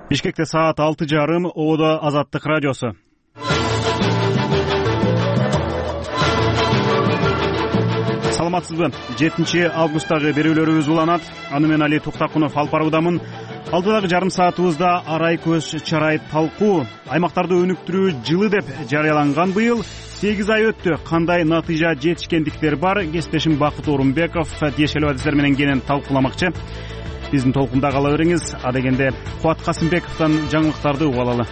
Бишкекте саат 6:30. Ободо Азаттык радиосу. Саламатсызбы? 7 августтагы берүүлөрүбүз уланат. Аны мен Али Туктакунов алып баруудамын. Алдыдагы жарым саатыбызда арай көз чарай талкуу, аймактарды өнүктүрүү жылы деп жарыяланган быйыл 8 ай өттү. Кандай натыйжа жетишкендиктер бар? Кесиптешим Бакыт Орунбеков тиешелүү адистер менен кенен талкууламакчы. Биздин толкунда кала бериңиз. Адегенде Кубат Касымбековдон жаңылыктарды угуп алалы.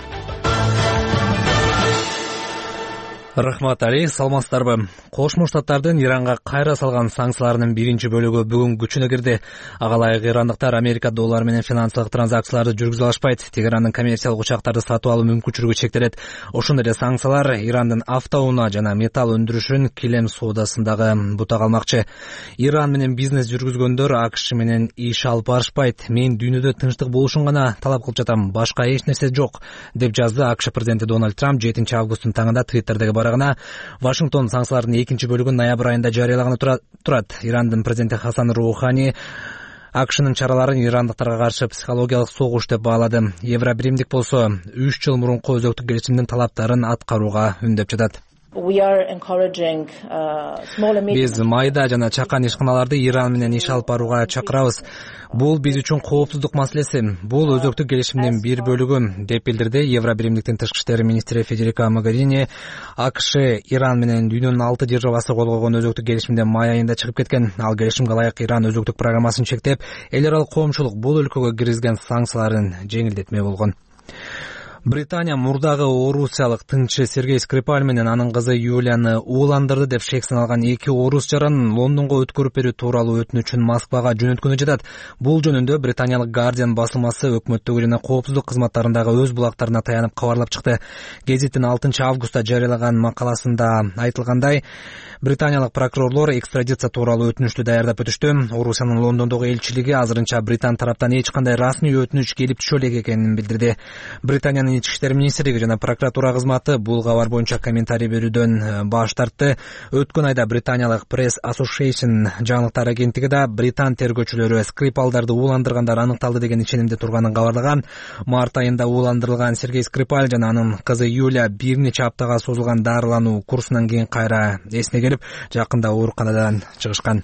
Рахмат Али, саламатсыздарбы? Кошмо Штаттардын Иранга кайра салган санкцияларынын биринчи бөлүгү бүгүн күчүнө кирди. Ага ылайык ирандыктар Америка доллары менен финансылык транзакцияларды жүргүзө алышпайт. Тегерандын коммерциялык учактарды сатып алуу мүмкүнчүлүгү чектелет. Ошондой эле санкциялар Ирандын автоунаа жана металл өндүрүшүн килем соодасындагы бута калмакчы. Иран менен бизнес жүргүзгөндөр АКШ менен иш алып барышпайт. Мен дүйнөдө тынчтык болушун гана талап кылып жатам. Башка эч нерсе жок, деп жазды АКШ президенти Дональд Трамп 7 августтун таңында Твиттердеги барагына. Вашингтон санкциялардын экинчи бөлүгүн ноябрь айында жарыялаганы турат. Ирандын президенти Хасан Роухани АКШнын чараларын ирандыктарга каршы психологиялык согуш деп баалады. Евробиримдик болсо 3 жыл мурунку өзөктүк келишимдин талаптарын аткарууга үндөп жатат. Биз майда жана чакан ишканаларды Иран менен иш алып барууга чакырабыз. Бул биз үчүн коопсуздук маселеси. Бул өзөктүк келишимдин бир бөлүгү, деп билдирди Евробиримдиктин тышкы иштер министри Федерика Могерини. АКШ Иран менен дүйнөнүн 6 державасы кол койгон өзөктүк келишимден май айында чыгып кеткен. Ал келишимге ылайык Иран өзөктүк программасын чектеп, эл аралык коомчулук бул өлкөгө киргизген санкцияларын жеңилдетме болгон. Британия мурдагы орусиялык тыңчы Сергей Скрипаль менен анын кызы Юлияны ууландырды деп шек саналган 2 орус жаран Лондонго өткөрүп берүү тууралуу өтүнүчүн Москвага жөнөткөнү жатат. Бул жөнүндө британиялык Guardian басылмасы өкмөттөгү жана коопсуздук кызматтарындагы өз булактарына таянып кабарлап чыкты. Гезиттин 6 августта жарыялаган макаласында айтылгандай, британиялык прокурорлор экстрадиция тууралуу өтүнүчтү даярдап өтүштү. Орусиянын Лондондогу элчилиги азырынча Британ тараптан эч кандай расмий өтүнүч келип түшө элек экенин билдирди. Британиянын Ички иштер министрлиги жана прокуратура кызматы бул кабар боюнча комментарий берүүдөн баш тартты. Өткөн айда британиялык Press Association жаңылыктар агенттиги да британ тергөөчүлөрү Скрипалдарды ууландыргандар аныкталды деген ишенимде турганын кабарлаган. Март айында ууландырылган Сергей Скрипаль жана анын кызы Юлия бир нече аптага созулган дарылануу курсунан кийин кайра эсине келип, жакында ооруканадан чыгышкан.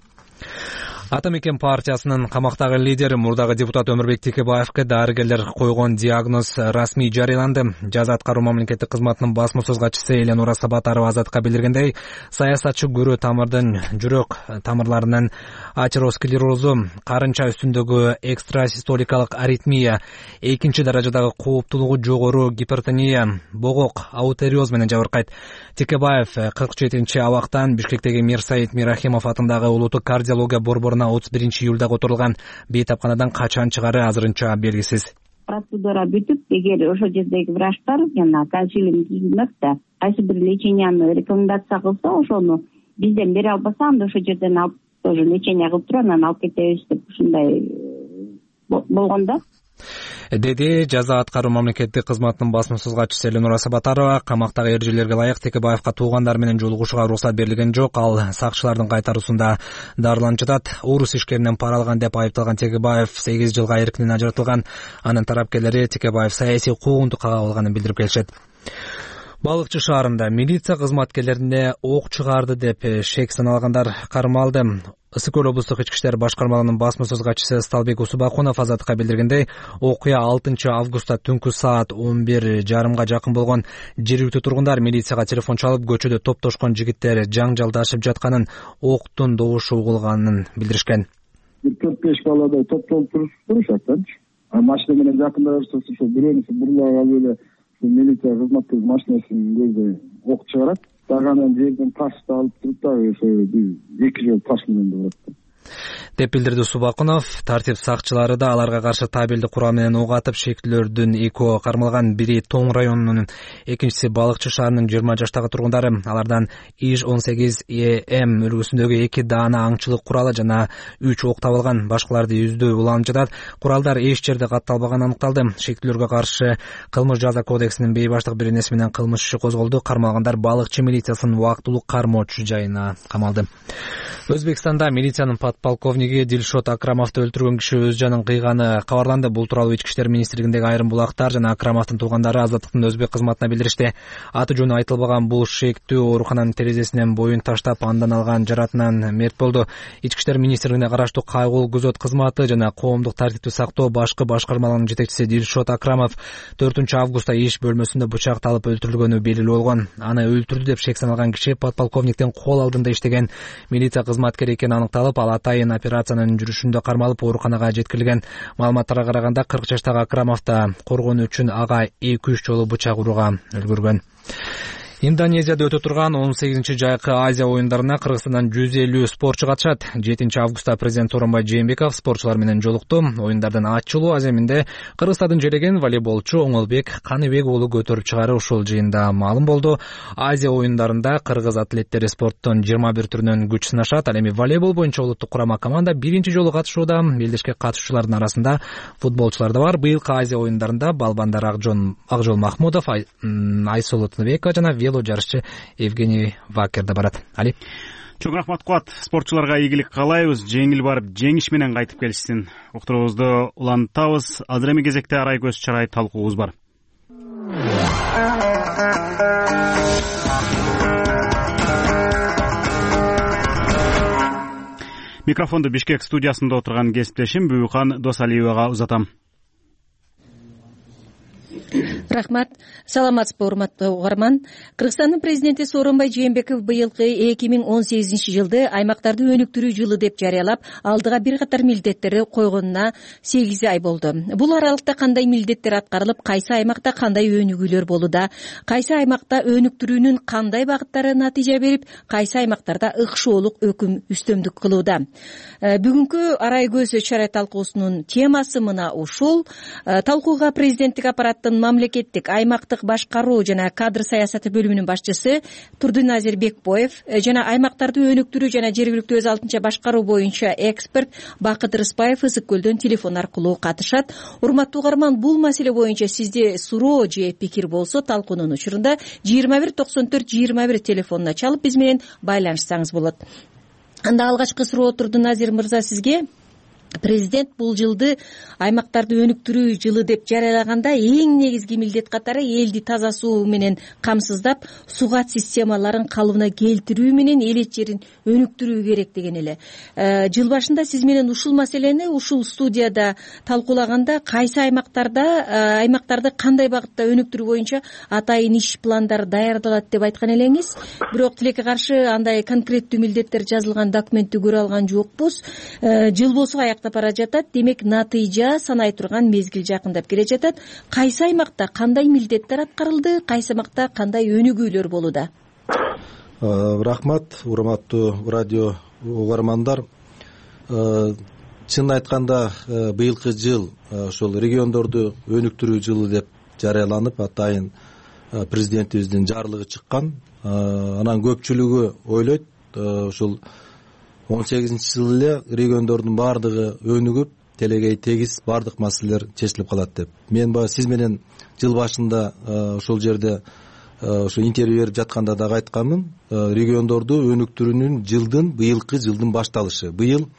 Ата мекен партиясынын камактагы лидери мурдагы депутат Өмүрбек Текебаевге дарыгерлер койгон диагноз расмий жарыяланды. Жаза аткаруу мамлекеттик кызматынын басма сөз катчысы Эленора Сабатарова Азатка билдиргендей, саясатчы көрө тамырдын жүрөк тамырларынын атеросклерозу, карынча үстүндөгү экстрасистоликалык аритмия, экинчи даражадагы кооптуулугу жогору гипертония, богок, аутериоз менен жабыркайт. Текебаев 47 абактан Бишкектеги Мирсаид Мирахимов атындагы улуттук кардиология борборуна 31 июлда которулган. Бейтапканадан качан чыгары азырынча белгисиз. Процедура бүтүп, эгер ошол жердеги врачтар жана консилиум түзүлмөктө кайсы бир леченияны рекомендация кылса, ошону бизден бере албаса, анда ошол жерден алып тоже лечение кылып туруп анан алып кетебиз деп ушундай болгон да. Деди жаза аткаруу мамлекеттик кызматынын басма сөз катчысы Эленора Сабатарова. Камактагы эрежелерге ылайык Текебаевга туугандар менен жолугушууга уруксат берилген жок. Ал сакчылардын кайтаруусунда дарыланып жатат. Орус ишкеринен пара алган деп айыпталган Текебаев 8 жылга эркинен ажыратылган. Анын тарапташылары Текебаев саясий куугунтук кагылганын билдирип келишет. Балыкчы шаарында милиция кызматкерлерине ок чыгарды деп шек саналгандар кармалды. Ысык көл облустук ички иштер башкармалыгынын басма сөз катчысы Сталбек Усубакунов Азатка билдиргендей, окуя 6 августта түнкү саат 11:30 жакын болгон. Жергиликтүү тургундар милицияга телефон чалып, көчөдө топтошкон жигиттер жаңжалдашып жатканын, октун добушу угулганын билдиришкен. 4-5 баладай топтолуп турушат да. Машина менен жакындашса, ошо бирөөнүсү бурлап алып эле милиция кызматкерлери машинасынын көзү ок чыгарат. Дагы жерден ташты алып туруп дагы ошо 2 жол таш менен урат. деп билдирди Субакунов. Тартип сакчылары да аларга каршы табелди курал менен ок атып, шектүүлөрдүн экөө кармалган. Бири Тоң районунун, экинчиси Балыкчы шаарынын 20 жаштагы тургундары. Алардан ИЖ-18ЭМ үлгүсүндөгү 2 даана аңчылык куралы жана 3 ок табылган. Башкаларды үздөө уланып жатат. Куралдар эч жерде катталбаганы аныкталды. Шектүүлөргө каршы кылмыш жаза кодексинин бейбаштык беренеси менен кылмыш иши козголду. Кармалгандар Балыкчы милициясынын убактылуу кармоочу жайына камалды. Өзбекстанда милициянын подполковниги Дилшот Акрамовду өлтүргөн киши өз жанын кыйганы кабарланды. Бул тууралуу Ички иштер министрлигиндеги айрым булактар жана Акрамовдун туугандары Азаттыктын өзбек кызматына билдиришти. Аты жөнү айтылбаган бул шектүү оорукананын терезесинен боюн таштап андан алган жаратынан мерт болду. Ички иштер министрлигине караштуу кайгылуу күзөт кызматы жана коомдук тартипти сактоо башкы башкармаларынын жетекчиси Дилшот Акрамов 4 августта иш бөлмөсүндө бычакталып өлтүрүлгөнү белгилүү болгон. Аны өлтүрдү деп шек саналган киши подполковниктин кол алдында иштеген милиция кызматкери экени аныкталып, ал атайын операциянын жүрүшүндө кармалып ооруканага жеткирилген. Маалыматтарга караганда 40 жаштагы Акрамов да коргонуу үчүн ага 2-3 жолу бычак урууга үлгүргөн. Индонезияда өтө турган 18-жайкы Азия оюндарына Кыргызстандан 150 спортчу катышат. 7 августта президент Сооронбай Жээнбеков спортчулар менен жолукту. Оюндардын ачылуу аземинде Кыргызстандын жереген волейболчу Оңолбек Каныбек уулу көтөрүп чыгаары ушул жыйында маалым болду. Азия оюндарында кыргыз атлеттери спорттун 21 түрүнөн күч сынашат. Ал эми волейбол боюнча улуттук курама команда биринчи жолу катышууда. Белдешке катышуучулардын арасында футболчулар да бар. Быйылкы Азия оюндарында балбандар Акжол Махмудов, Айсулуу Тыныбекова жана жарышчы Евгений Вакер да барат. Али. Чоң рахмат Кубат. Спортчуларга ийгилик каалайбыз. Жеңил барып, жеңиш менен кайтып келишсин. Уктуруубузду улантабыз. Азыр эми кезекте арай көз чарай талкуубуз бар. Микрофонду Бишкек студиясында отурган кесиптешим Бүбүкан Досалиевага узатам. Рахмат. Саламатсызбы, урматтуу угарман. Кыргызстандын президенти Сооронбай Жээнбеков быйылкы 2018-жылды аймактарды өнүктүрүү жылы деп жарыялап, алдыга бир катар милдеттерди койгонуна 8 ай болду. Бул аралыкта кандай милдеттер аткарылып, кайсы аймакта кандай өнүгүүлөр болууда, кайсы аймакта өнүктүрүүнүн кандай багыттары натыйжа берип, кайсы аймактарда ыкшоолук өкүм үстөмдүк кылууда. Бүгүнкү арай көз чарай талкуусунун темасы мына ушул. Талкууга президенттик аппараттын мамлекеттик аймактык башкаруу жана кадр саясаты бөлүмүнүн башчысы Турдуназир Бекбоев жана аймактарды өнүктүрүү жана жергиликтүү өз алдынча башкаруу боюнча эксперт Бакыт Рыспаев Ысык көлдөн телефон аркылуу катышат. Урматтуу угарман, бул маселе боюнча сизде суроо же пикир болсо, талкуунун учурунда 2194-21 телефонуна чалып биз менен байланышсаңыз болот. Анда алгачкы суроо Турдуназир мырза сизге. Президент бул жылды аймактарды өнүктүрүү жылы деп жарыялаганда эң негизги милдет катары элди таза суу менен камсыздап, сугат системаларын калыбына келтирүү менен элет жерин өнүктүрүү керек деген эле. Жыл башында сиз менен ушул маселени ушул студияда талкуулаганда кайсы аймактарды кандай багытта өнүктүрүү боюнча атайын иш пландары даярдалат деп айткан элеңиз. Бирок тилекке каршы андай конкреттүү милдеттер жазылган документти көрө алган жокпуз. Жыл болсо бара жатат, демек натыйжа санай турган мезгил жакындап келе жатат. Кайсы аймакта кандай милдеттер аткарылды, кайсы аймакта кандай өнүгүүлөр болууда? Рахмат, урматтуу радио угармандар. Чын айтканда быйылкы жыл ошол региондорду өнүктүрүү жылы деп жарыяланып, атайын президентибиздин жарлыгы чыккан. Анан көпчүлүгү ойлойт ушул 18-жылы эле региондордун баардыгы өнүгүп, телегей тегиз баардык маселелер чечилип калат деп. Мен сиз менен жыл башында ошол жерде ошо интервью берип жатканда дагы айтканмын. Региондорду өнүктүрүүнүн быйылкы жылдын башталышы. Быйыл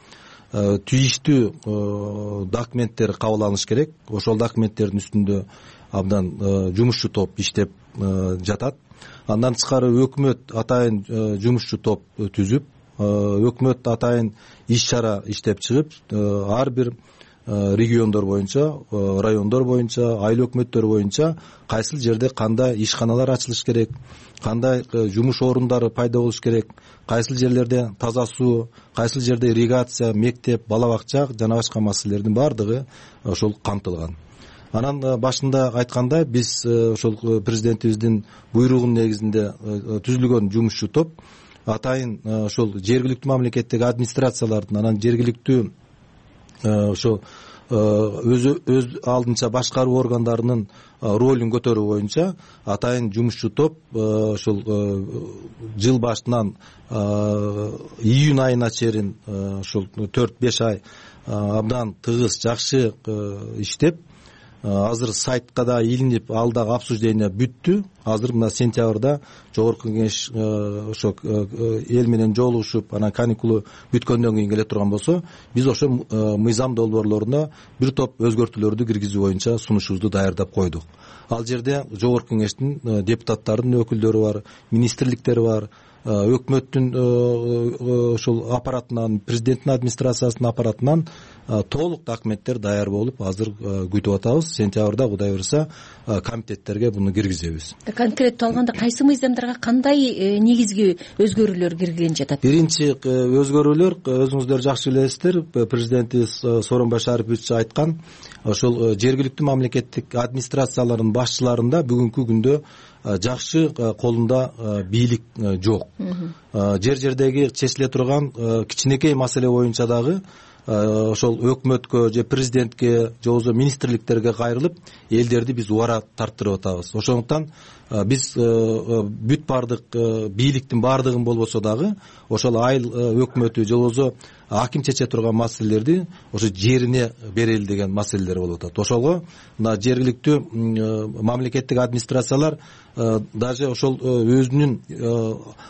түйүштүү документтер кабыл алыныш керек. Ошол документтердин үстүндө абдан жумушчу топ иштеп жатат. Андан тышкары өкмөт атайын жумушчу топ түзүп, өкмөт атайын иш-чара иштеп чыгып, ар бир региондор боюнча, райондор боюнча, айыл өкмөттөр боюнча кайсыл жерде кандай ишканалар ачылыш керек, кандай жумуш орундары пайда болуш керек, кайсыл жерлерде таза суу, кайсыл жерде ирригация, мектеп, бала бакча жана башка маселелердин баардыгы ошол камтылган. Анан башында айткандай, биз ошол президентибиздин буйругунун негизинде түзүлгөн жумушчу топ атайын ошол жергиликтүү мамлекеттик администрациялардын, анан жергиликтүү ошо өз алдынча башкаруу органдарынын ролун көтөрүү боюнча атайын жумушчу топ ошол жыл башынан июнь айына чейин ошол 4-5 ай абдан тыгыз, жакшы иштеп, азыр сайтка да илинип, ал дагы обсуждение бүттү. Азыр мына сентябрда жогорку кеңеш ошо эл менен жолугушуп, анан каникулу бүткөндөн кийин келе турган болсо, биз ошо мыйзам долбоорлоруна бир топ өзгөртүүлөрдү киргизүү боюнча сунушубузду даярдап койдук. Ал жерде жогорку кеңештин депутаттарынын өкүлдөрү бар, министрликтери бар, өкмөттүн ошол аппаратынан, президенттин администрациясынын аппаратынан толук документтер даяр болуп, азыр күтүп атабыз. Сентябрда Кудай буйруса комитеттерге буну киргизебиз. Конкреттүү алганда кайсы мыйзамдарга кандай негизги өзгөрүүлөр кирген жатат? Биринчи өзгөрүүлөр, өзүңүздөр жакшы билесиздер, президентибиз Сооронбай Шарипович айткан, ошол жергиликтүү мамлекеттик администрациялардын башчыларында бүгүнкү күндө жакшы колунда бийлик жок. Жер жердеги чечиле турган кичинекей маселе боюнча дагы ошол өкмөткө же президентке же болбосо министрликтерге кайрылып, элдерди биз убара тарттырып атабыз. Ошондуктан биз бүт бардык бийликтин бардыгын болбосо дагы ошол айыл өкмөтү же болбосо аким чече турган маселелерди ошо жерине берели деген маселелер болуп атат. Ошого мына жергиликтүү мамлекеттик администрациялар даже ошол өзүнүн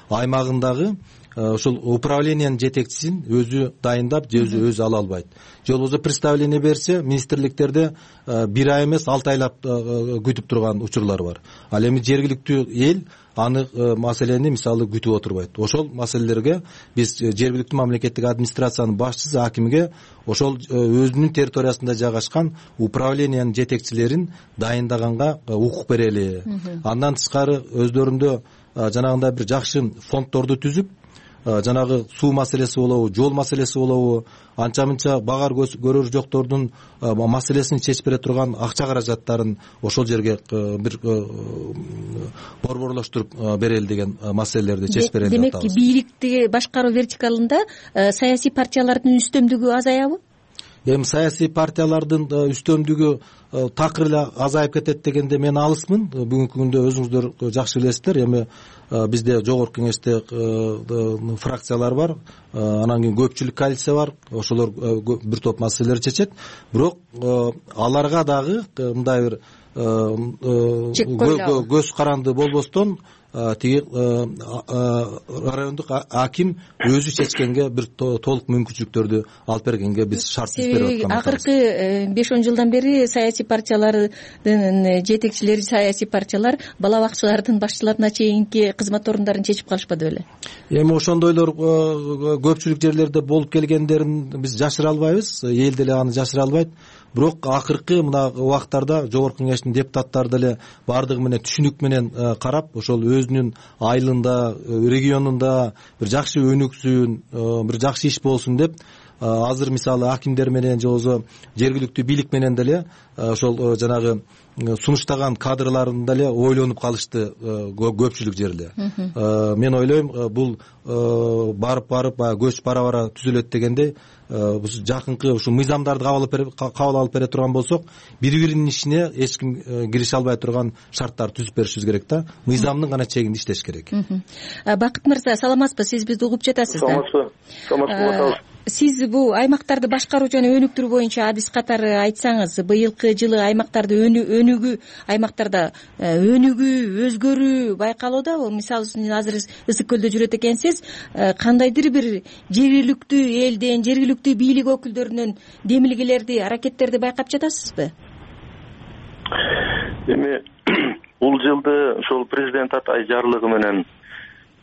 аймагындагы ошол управлениянын жетекчисин өзү дайындап же өзү ала албайт. Же болбосо представление берсе, министрликтерде бир ай эмес 6 айлап күтүп турган учурлар бар. Ал эми жергиликтүү эл аны маселени мисалы күтүп отурбайт. Ошол маселелерге биз жергиликтүү мамлекеттик администрациянын башчысы акимге ошол өзүнүн территориясында жайгашкан управлениянын жетекчилерин дайындаганга укук берели. Андан тышкары өздөрүндө жанагындай бир жакшы фонддорду түзүп, жанагы суу маселеси болобу, жол маселеси болобу, анча мынча багар көрөр жоктордун маселесин чечип бере турган акча каражаттарын ошол жерге бир борборлоштуруп берели деген маселелерди чечип берели деп атабыз. Демек, бийликти башкаруу вертикалында саясий партиялардын үстөмдүгү азаябы? Эми саясий партиялардын үстөмдүгү такыр эле азайып кетет дегенде мен алысмын. Бүгүнкү күндө өзүңүздөр жакшы билесиздер, эми бизде жогорку кеңеште фракциялар бар, анан кийин көпчүлүк коалиция бар, ошолор бир топ маселелерди чечет. Бирок аларга дагы мындай бир көз каранды болбостон тиги райондук аким өзү чечкенге бир толук мүмкүнчүлүктөрдү алып бергенге биз шарт түзүп берип атканбыз. Акыркы 5-10 жылдан бери саясий партиялардын жетекчилери, саясий партиялар бала бакчалардын башчыларына чейинки кызмат орундарын чечип калышпады беле? Эми ошондойлор көпчүлүк жерлерде болуп келгендерин биз жашыра албайбыз, эл деле аны жашыра албайт. Бирок акыркы мына убактарда жогорку кеңештин депутаттары деле бардыгы менен түшүнүк менен карап, ошол өзүнүн айылында, регионунда бир жакшы өнүксүн, бир жакшы иш болсун деп азыр мисалы акимдер менен же болбосо жергиликтүү бийлик менен деле ошол жанагы сунуштаган кадрларын деле ойлонуп калышты көпчүлүк жерде. Мен ойлойм, бул барып көч бара түзүлөт дегенде жакынкы ушул мыйзамдарды кабыл алып бере турган болсок, бири-биринин ишине эч ким кирише албай турган шарттар түзүп беришибиз керек да. Мыйзамдын гана чегинде иштеш керек. Бакыт мырза, саламатсызбы? Сиз бизди угуп жатасыз да? Саламатсызбы. Сиз бул аймактарды башкаруу жана өнүктүрүү боюнча адис катары айтсаңыз, быйылкы жылы аймактарды аймактарда өнүгүү, өзгөрүү байкалууда. Мисалы үчүн азыр Ысык көлдө жүрөт экенсиз, кандайдыр бир жергиликтүү элден, жергиликтүү бийлик өкүлдөрүнөн демилгелерди, аракеттерди байкап жатасызбы? Эми бул жылды ошол президент Атай жарлыгы менен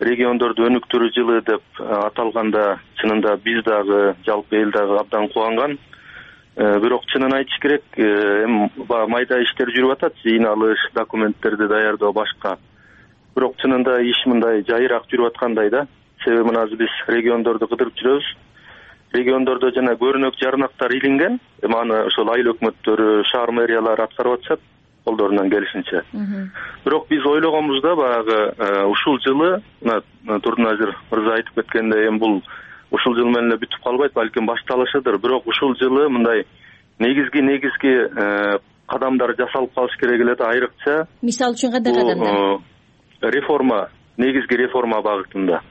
региондорду өнүктүрүү жылы деп аталганда, чынында биз дагы, жалпы эл дагы абдан кубанган. Бирок чынын айтыш керек, эми майда иштер жүрүп атат, жыйналыш, документтерди даярдоо башка. Бирок чынында иш мындай жайыраак жүрүп аткандай да. Себеби мына биз региондорду кыдырып жүрөбүз. Региондордо жана көрүнөк жарнактар илинген, эми аны ошол айыл өкмөттөрү, шаар мэриялары аткарып атышат колдорунан келишинче. Бирок биз ойлогонбузда баягы ушул жылы, Турдуназир мырза айтып кеткендей, эми бул ушул жыл менен эле бүтүп калбайт, балким башталышыдыр. Бирок ушул жылы мындай негизги кадамдар жасалып калыш керек эле да, айрыкча. Мисалы үчүн кандай кадамдар? Реформа, негизги реформа багытында.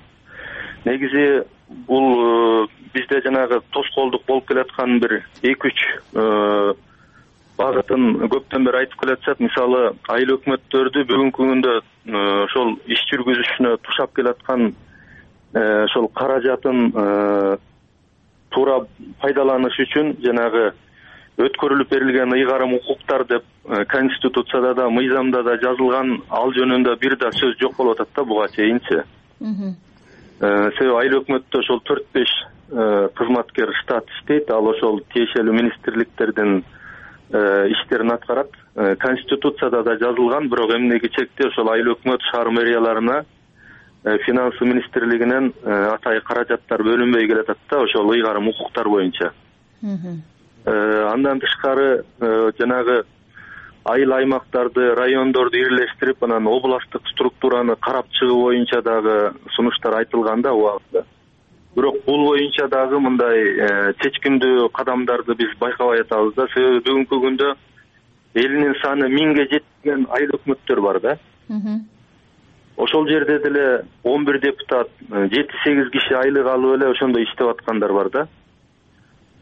Негизи бул бизде жанагы тоскоолдук болуп келаткан бир 2-3 багытын көптөн бери айтып келатышат. Мисалы айыл өкмөттөрдү бүгүнкү күндө ошол иш жүргүзүшүнө тушап келаткан ошол каражатын туура пайдаланыш үчүн жанагы өткөрүлүп берилген ыйгарым укуктар деп Конституцияда да, мыйзамда да жазылган, ал жөнүндө бир да сөз жок болуп атат да буга чейинчи. Себеби айыл өкмөттө ошол 4-5 кызматкер штат иштейт, ал ошол тиешелүү министрликтердин иштерин аткарат. Конституцияда да жазылган, бирок эмнеге чекте ошол айыл өкмөт шаар мэрияларына финанс министрлигинен атайын каражаттар бөлүнбөй келатат да ошол ыйгарым укуктар боюнча. Андан тышкары жанагы айыл аймактарды, райондорду бирлештирип, анан областтык структураны карап чыгуу боюнча дагы сунуштар айтылган да убакытта. Бирок бул боюнча дагы мындай чечкиндүү кадамдарды биз байкабай атабыз да. Себеби бүгүнкү күндө элинин саны 1000ге жеткен айыл өкмөттөр бар да. Ошол жерде деле 11 депутат, 7-8 киши айлык алып эле ошондой иштеп аткандар бар да.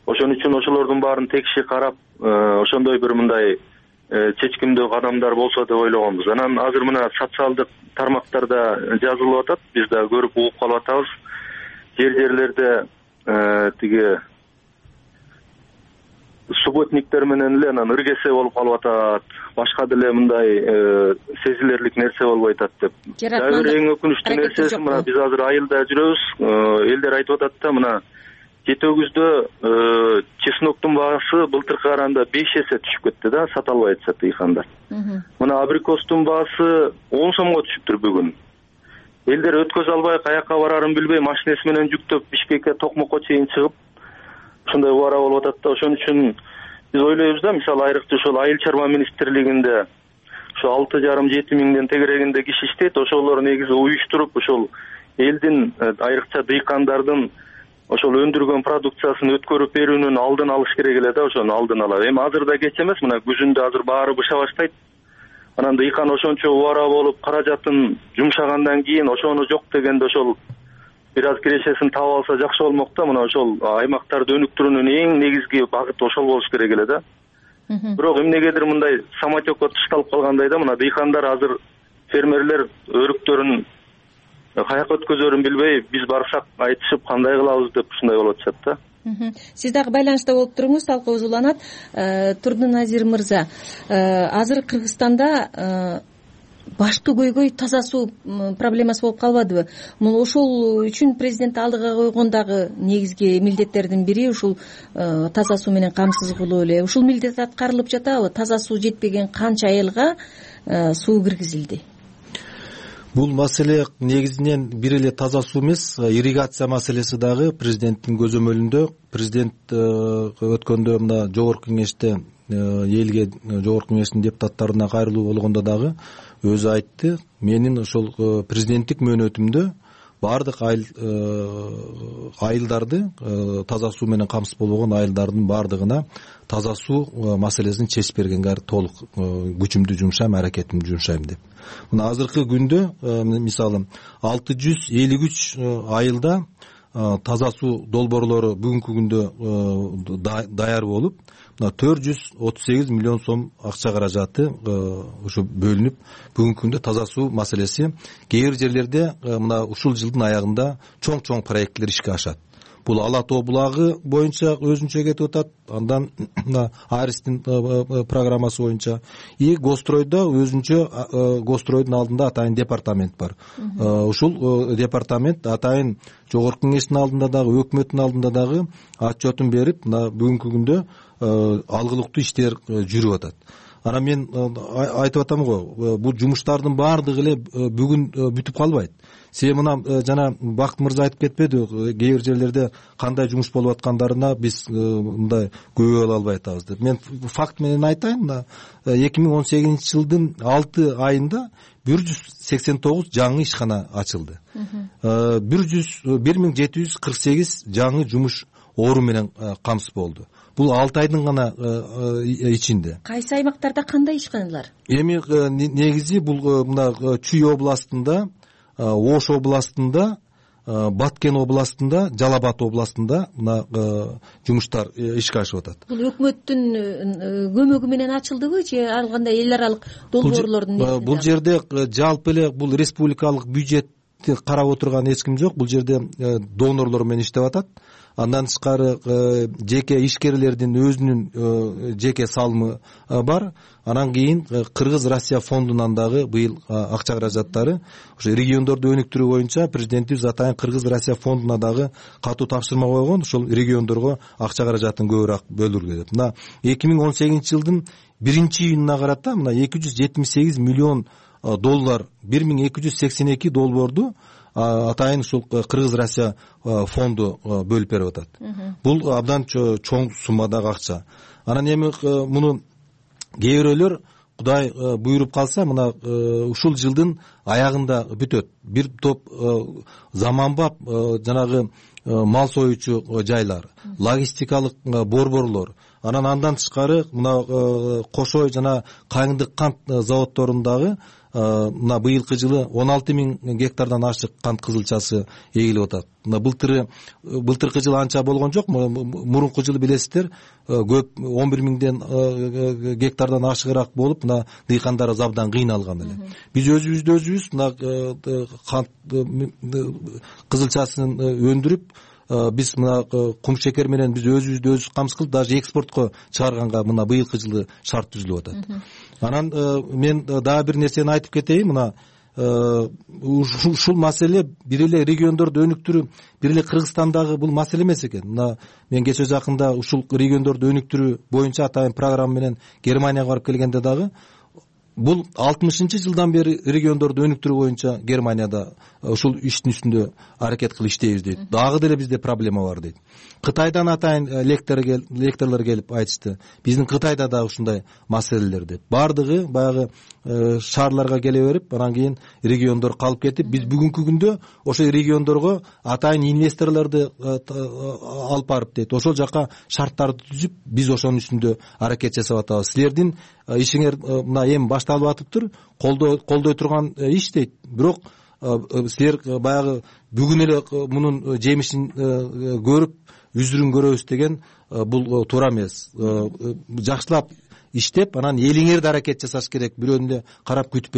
Ошон үчүн ошолордун баарын текши карап, ошондой бир мындай чечкиндүү кадамдар болсо деп ойлогонбуз. Анан азыр мына социалдык тармактарда жазылып атат, биз да көрүп угуп калып атабыз. Жерлерде тиги субботниктер менен эле анан ыргесе болуп калып атат, башка деле мындай сезилерлик нерсе болбой атат деп. Дагы бир эң өкүнүчтүү нерсеси мына биз азыр айылда жүрөбүз, элдер айтып атат да, мына Жети өгүздө чесноктун баасы былтыркы караганда 5 эсе түшүп кетти да, сата албай атышат дыйкандар. Мына абрикостун баасы 10 сомго түшүптүр бүгүн. Элдер өткөзө албай каяка барарын билбей машинеси менен жүктөп Бишкекке, Токмокко чейин чыгып ушундай убара болуп атат да. Ошон үчүн биз ойлойбуз да, мисалы айрыкча ошол айыл чарба министрлигинде ошо 6,5-7 миңден тегерегинде киши иштейт. Ошолор негизи уюштуруп ошол элдин, айрыкча дыйкандардын ошол өндүргөн продукциясын өткөрүп берүүнүн алдын алыш керек эле да, ошону алдын ала. Эми азырда кеч эмес, мына күзүндө азыр баары быша баштайт. Анан дыйкан ошончо убара болуп, каражатын жумшагандан кийин ошону жок дегенде ошол бир аз кирешесин таап алса жакшы болмок да. Мына ошол аймактарды өнүктүрүүнүн эң негизги багыты ошол болуш керек эле да. Бирок эмнегедир мындай самотекко тышталып калгандай да, мына дыйкандар азыр, фермерлер өрүктөрүн каяка өткөзөрүн билбей, биз барсак айтышып кандай кылабыз деп ушундай болуп атышат да. Сиз дагы байланышта болуп туруңуз, талкуубуз уланат. Турдуназир мырза, азыр Кыргызстанда башкы көйгөй таза суу проблемасы болуп калбадыбы? Ошол үчүн президент алдыга койгон дагы негизги милдеттердин бири ушул таза суу менен камсыз кылуу эле. Ушул милдет аткарылып жатабы? Таза суу жетпеген канча айылга суу киргизилди? Бул маселе негизинен бир эле таза суу эмес, ирригация маселеси дагы президенттин көзөмөлүндө. Президент өткөндө мына жогорку кеңеште элге, жогорку кеңештин депутаттарына кайрылуу болгондо дагы өзү айтты, менин ошол президенттик мөөнөтүмдө баардык айылдарды, таза суу менен камсыз болбогон айылдардын баардыгына таза суу маселесин чечип бергенге толук күчүмдү жумшайм, аракетимди жумшайм деп. Мына азыркы күндө мисалы 653 айылда таза суу долбоорлору бүгүнкү күндө даяр болуп, 438 миллион сом акча каражаты ушу бөлүнүп, бүгүнкү күндө таза суу маселеси кээ бир жерлерде мына ушул жылдын аягында чоң проекттер ишке ашат. Бул Ала тоо булагы боюнча өзүнчө кетип атат, андан Аристин программасы боюнча и Гостройдо өзүнчө, Гостройдун алдында атайын департамент бар. Ушул департамент атайын жогорку кеңештин алдында дагы, өкмөттүн алдында дагы отчетун берип, бүгүнкү күндө алгылыктуу иштер жүрүп атат. Анан мен айтып атам го, бул жумуштардын баардыгы эле бүгүн бүтүп калбайт. Себеби мына жана Бакыт мырза айтып кетпеди, кээ бир жерлерде кандай жумуш болуп аткандарына биз мындай күбө боло албай атабыз деп. Мен факт менен айтайын, мына 2018 жылдын 6 айында 189 жаңы ишкана ачылды. 1748 жаңы жумуш орун менен камсыз болду. Бул 6 айдын гана ичинде. Кайсы аймактарда кандай ишканалар? Эми негизи бул мына Чүй областында, Ош областында, Баткен областында, Жалал Абад областында мына жумуштар ишке ашып атат. Бул өкмөттүн көмөгү менен ачылдыбы же ар кандай эл аралык долбоорлордун негизинде? Бул жерде жалпы эле бул республикалык бюджетти карап отурган эч ким жок. Бул жерде донорлор менен иштеп атат. Андан тышкары жеке ишкерлердин өзүнүн жеке салымы бар. Анан кийин Кыргыз Россия фондунан дагы быйыл акча каражаттары ошо региондорду өнүктүрүү боюнча президентибиз атайын Кыргыз Россия фондуна дагы катуу тапшырма койгон. Ошол региондорго акча каражатын көбүрөөк бөлүргө деп. Мына 2018-жылдын 1-июнуна карата мына 278 миллион доллар, 1282 долбоорду атайын ушул Кыргыз Россия фонду бөлүп берип атат. Бул абдан чоң суммадагы акча. Анан эми муну кээ бирөөлөр Кудай буйруп калса мына ушул жылдын аягында бүтөт. Бир топ заманбап жанагы мал союучу жайлар, логистикалык борборлор, андан тышкары мына Кошой жана Кайыңдык кант заводдорундагы мына быйылкы жылы 16 000 гектардан ашык кант кызылчасы эгилип атат. Мына былтыркы жылы анча болгон жок. Мурунку жылы билесиздер, көп 11 000 гектардан ашыгыраак болуп, мына дыйкандар абдан кыйналган эле. Биз өзүбүз мына кант кызылчасын өндүрүп, биз мына кум шекер менен биз өзүбүздү камсыз кылып, даже экспортко чыгарганга мына быйылкы жылы шарт түзүлүп атат. Анан мен дагы бир нерсени айтып кетейин. Мына ушул маселе бир эле региондорду өнүктүрүү, бир эле Кыргызстандагы бул маселе эмес экен. Мына мен кече жакында ушул региондорду өнүктүрүү боюнча атайын программа менен Германияга барып келгенде дагы бул 60-жылдан бери региондорду өнүктүрүү боюнча Германияда ушул иштин үстүндө аракет кылып иштейбиз дейт. Дагы деле бизде проблема бар дейт. Кытайдан атайын лекторлор келип айтышты. Биздин Кытайда да ушундай маселелер деп. Бардыгы баягы шаарларга келе берип, анан кийин региондор калып кетип, биз бүгүнкү күндө ошол региондорго атайын инвесторлорду алып барып дейт. Ошол жака шарттарды түзүп, биз ошонун үстүндө аракет жасап атабыз. Силердин ишиңер мына эми башталып атыптыр, колдой турган иш дейт. Бирок силер баягы бүгүн эле мунун жемишин көрүп, үзүрүн көрөбүз деген бул туура эмес. Жакшылап иштеп, анан элиңерди аракет жасаш керек. Бирөөнү эле карап күтүп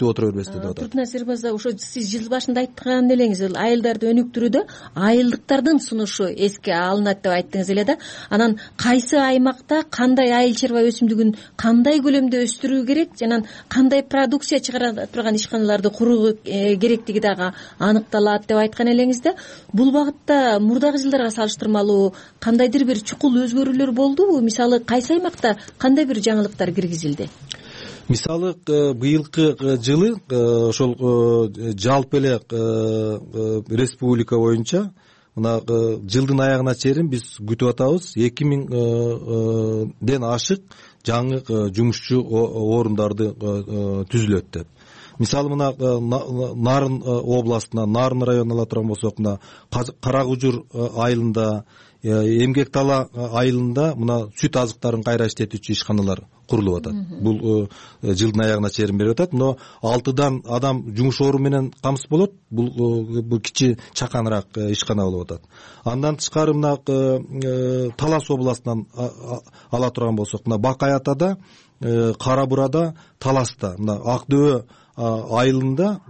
отура бербестер деп атат. Туртнасир мырза, ошо сиз жыл башында айткан элеңиз, айылдарды өнүктүрүүдө айылдыктардын сунушу эске алынат деп айттыңыз эле да. Анан кайсы аймакта кандай айыл чарба өсүмдүгүн кандай көлөмдө өстүрүү керек, жана кандай продукция чыгара турган ишканаларды куруу керектиги дагы аныкталат деп айткан элеңиз да. Бул багытта мурдагы жылдарга салыштырмалуу кандайдыр бир чукул өзгөрүүлөр болдубу? Мисалы кайсы аймакта кандай бир жаңылыктар киргизилди? Мисалы быйылкы жылы ошол жалпы эле республика боюнча мына жылдын аягына чейин биз күтүп атабыз 2000ден ашык жаңы жумушчу орундарды түзүлөт деп. Мисалы мына Нарын областына, Нарын районуна ала турган болсок, мына Каракужур айылында, Эмгек Тала айылында мына сүт азыктарын кайра иштетүүчү ишканалар курулуп атат. Бул жылдын аягына чейин берип атат. Но 6дан адам жумуш ору менен камсыз болот. Бул кичи чаканыраак ишкана болуп атат. Андан тышкары мына Талас областынан ала турган болсок, мына Бакаятада, Кара Бурада, Таласта, мына Акдөбө айылында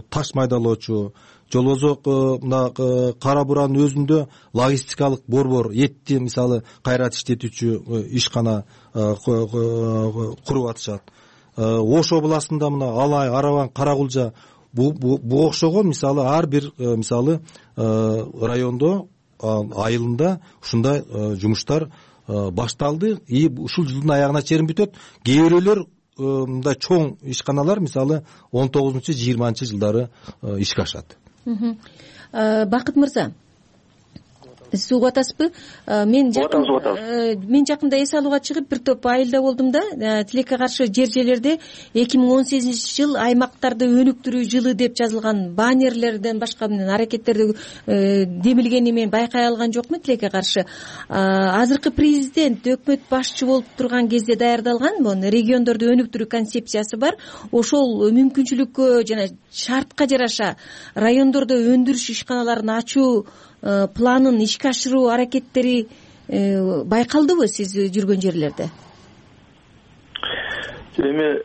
таш майдалоочу, жолбозок мына Кара Буранын өзүндө логистикалык борбор, этти мисалы кайрат иштетүүчү ишкана куруп атышат. Ош областында мына Алай, Арабан, Каракулжа бу окшогон мисалы ар бир мисалы райондо айылында ушундай жумуштар башталды. И ушул жылдын аягына чейин бүтөт. Кээ бирөөлөр мындай чоң ишканалар мисалы 19-20 жылдары ишке ашат. Бакыт мырза, Сиз угуп атасызбы? Мен жакында эс алууга чыгып бир топ айылда болдум да, тилекке каршы жер-жерлерде 2018-жыл аймактарды өнүктүрүү жылы деп жазылган баннерлерден башка аракеттерди демилгени мен байкай алган жокмун. Тилекке каршы азыркы президент өкмөт башчы болуп турган кезде даярдалган региондорду өнүктүрүү концепциясы бар. Ошол мүмкүнчүлүккө жана шартка жараша райондордо өндүрүш ишканаларын ачуу планын ишке ашыруу аракеттери байкалдыбы сиз жүргөн жерлерде? Эми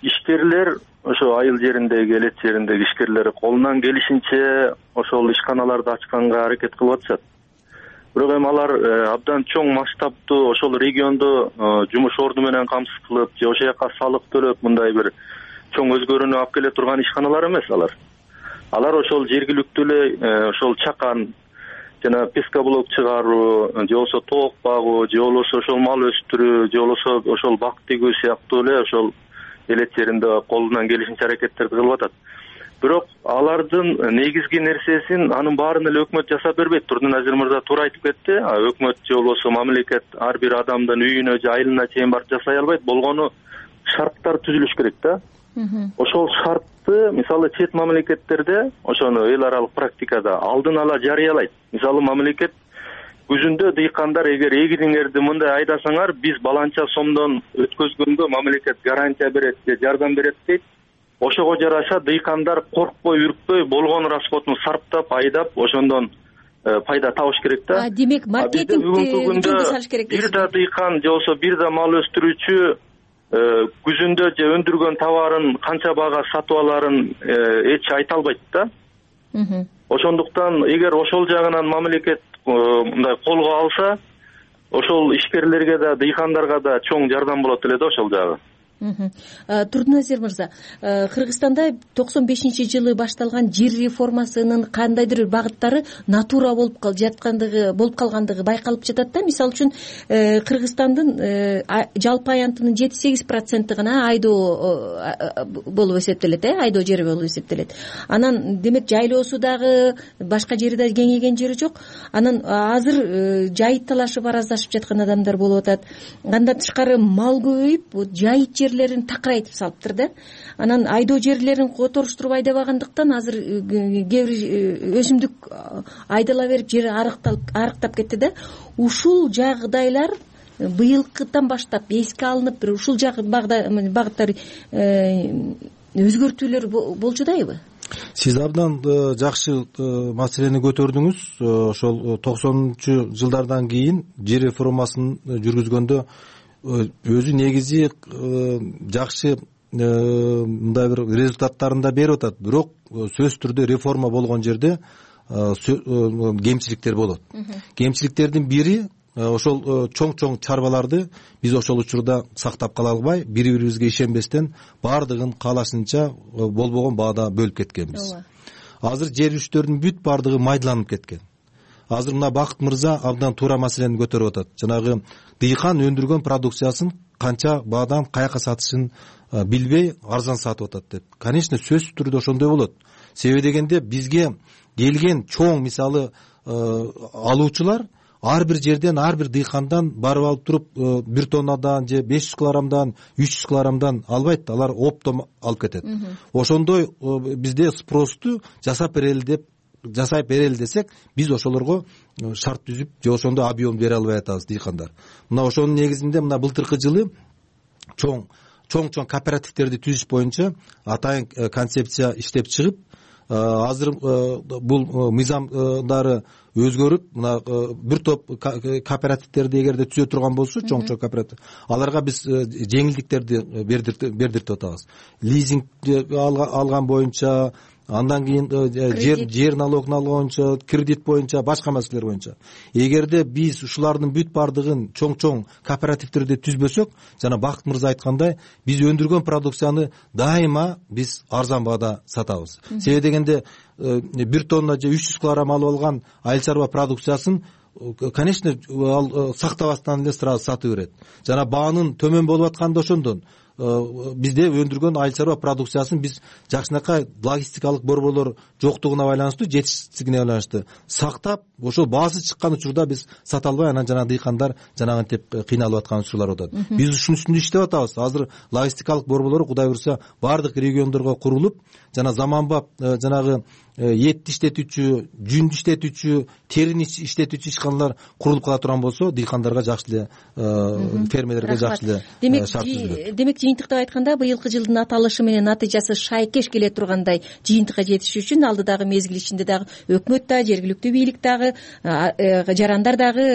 ишкерлер ошо айыл жериндеги, элет жериндеги ишкерлер колунан келишинче ошол ишканаларды ачканга аракет кылып атышат. Бирок эми алар абдан чоң масштабтуу ошол региондо жумуш орду менен камсыз кылып же ошол жака салык төлөп мындай бир чоң өзгөрүүнү алып келе турган ишканалар эмес алар. Алар ошол жергиликтүү эле ошол чакан жана пескоблок чыгаруу же болбосо тоок багуу же болбосо ошол мал өстүрүү же болбосо ошол бак тигүү сыяктуу эле ошол элет жеринде колунан келишинче аракеттерди кылып атат. Бирок алардын негизги нерсесин анын баарын эле өкмөт жасап бербейт. Турдуназир мырза туура айтып кетти. Өкмөт же болбосо мамлекет ар бир адамдын үйүнө же айылына чейин барып жасай албайт. Болгону шарттар түзүлүш керек да. Ошол шартты мисалы чет мамлекеттерде ошону эл аралык практикада алдын ала жарыялайт. Мисалы мамлекет күзүндө дыйкандар эгер эгириңерди мындай айдасаңар биз баланча сомдон өткөзгөнгө мамлекет гарантия берет же жардам берет дейт. Ошого жараша дыйкандар коркпой, үркпөй болгон расходун сарптап, айдап ошондон пайда табыш керек да. Демек маркетингди жолго салыш керек. Бир да дыйкан же болбосо бир да мал өстүрүүчү күзүндө же өндүргөн товарын канча баага сатып аларын эч айта албайт да. Ошондуктан эгер ошол жагынан мамлекет мындай колго алса, ошол ишкерлерге да, дыйкандарга да чоң жардам болот эле да ошол жагы. Турдуназир мырза, Кыргызстанда 95-жылы башталган жер реформасынын кандайдыр багыттары натура болуп калгандыгы байкалып жатат да. Мисалы үчүн Кыргызстандын жалпы аянтынын 7-8% гана айдоо болуп эсептелет, айдоо жери болуп эсептелет. Анан демек жайлоосу дагы башка жери да кеңейген жери жок. Анан азыр жайыт талашып араздашып жаткан адамдар болуп атат. Андан тышкары мал көбөйүп, жайыт жерлерин такырайтып салыптыр да. Анан айдоо жерлерин которуштуруп айдабагандыктан азыр кээ бир өсүмдүк айдала берип жери арыктап кетти да. Ушул жагдайлар быйылкыдан баштап эске алынып, ушул багыттар өзгөртүүлөр болчудайбы? Сиз абдан жакшы маселени көтөрдүңүз. Ошол 90-жылдардан кийин жер реформасын жүргүзгөндө өзү негизи жакшы мындай бир результаттарын да берип атат. Бирок сөзсүз түрдө реформа болгон жерде кемчиликтер болот. Кемчиликтердин бири ошол чоң чарбаларды биз ошол учурда сактап кала албай, бири-бирибизге ишенбестен баардыгын каалашынча болбогон баада бөлүп кеткенбиз. Азыр жер үчтөрдүн бүт баардыгы майдаланып кеткен. Азыр мына Бакыт мырза абдан туура маселени көтөрүп атат. Жанагы дыйкан өндүргөн продукциясын канча баадан каяка сатышын билбей арзан сатып атат деп. Конечно, сөзсүз түрдө ошондой болот. Себеби дегенде бизге келген чоң мисалы алуучулар ар бир жерден, ар бир дыйкандан барып алып туруп 1 тоннадан же 500 килограммдан, 300 килограммдан албайт, алар оптом алып кетет. Ошондой бизде спросту жасай берели десек, биз ошолорго шарт түзүп же ошондой объем бере албай атабыз дыйкандар. Мына ошонун негизинде мына былтыркы жылы чоң кооперативтерди түзүш боюнча атайын концепция иштеп чыгып, азыр бул мыйзамдары өзгөрүп, мына бир топ кооперативтерди эгерде түзө турган болсо, чоң кооператив, аларга биз жеңилдиктерди бердиртип атабыз. Лизинг алган боюнча, андан кийин жер налогун алган боюнча, кредит боюнча, башка маселелер боюнча. Эгерде биз ушулардын бүт баардыгын чоң кооперативтерди түзбөсөк, жана Бакыт мырза айткандай, биз өндүргөн продукцияны дайыма биз арзан баада сатабыз. Себеби дегенде 1 тонна же 300 килограмм алып алган айыл чарба продукциясын конечно ал сактабастан эле сразу сатып берет. Жана баанын төмөн болуп атканы да ошондон. бизде өндүргөн айыл чарба продукциясын биз жакшынакай логистикалык борборлор жоктугуна байланыштуу, жетишсиздигине байланыштуу сактап, ошол баасы чыккан учурда биз сата албай, анан жанагы дыйкандар жанагынтип кыйналып аткан учурлар болуп атат. Биз ушунун үстүндө иштеп атабыз. Азыр логистикалык борборлор Кудай буюрса баардык региондорго курулуп, жана заманбап жанагы этти иштетүүчү, жүндү иштетүүчү, терини иштетүүчү ишканалар курулуп кала турган болсо, дыйкандарга жакшы эле, фермерлерге жакшы эле шарт түзүлөт. Демек жыйынтыктап айтканда, быйылкы жылдын аталышы менен натыйжасы шайкеш келе тургандай жыйынтыкка жетиш үчүн алдыдагы мезгил ичинде дагы өкмөт да, жергиликтүү бийлик дагы, жарандар дагы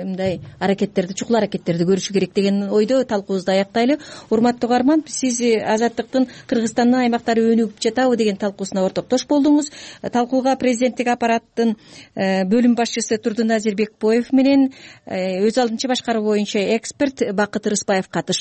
мындай аракеттерди, чукул аракеттерди көрүшү керек деген ойдо талкуубузду аяктайлы. Урматтуу угарман, сиз Азаттыктын Кыргызстандын аймактары өнүгүп жатабы деген талкуусуна ортоктош болдуңуз. Талкууга президенттик аппараттын бөлүм башчысы Турдун Азирбекбоев менен өз алдынча башкаруу боюнча эксперт Бакыт Рыспаев катышты.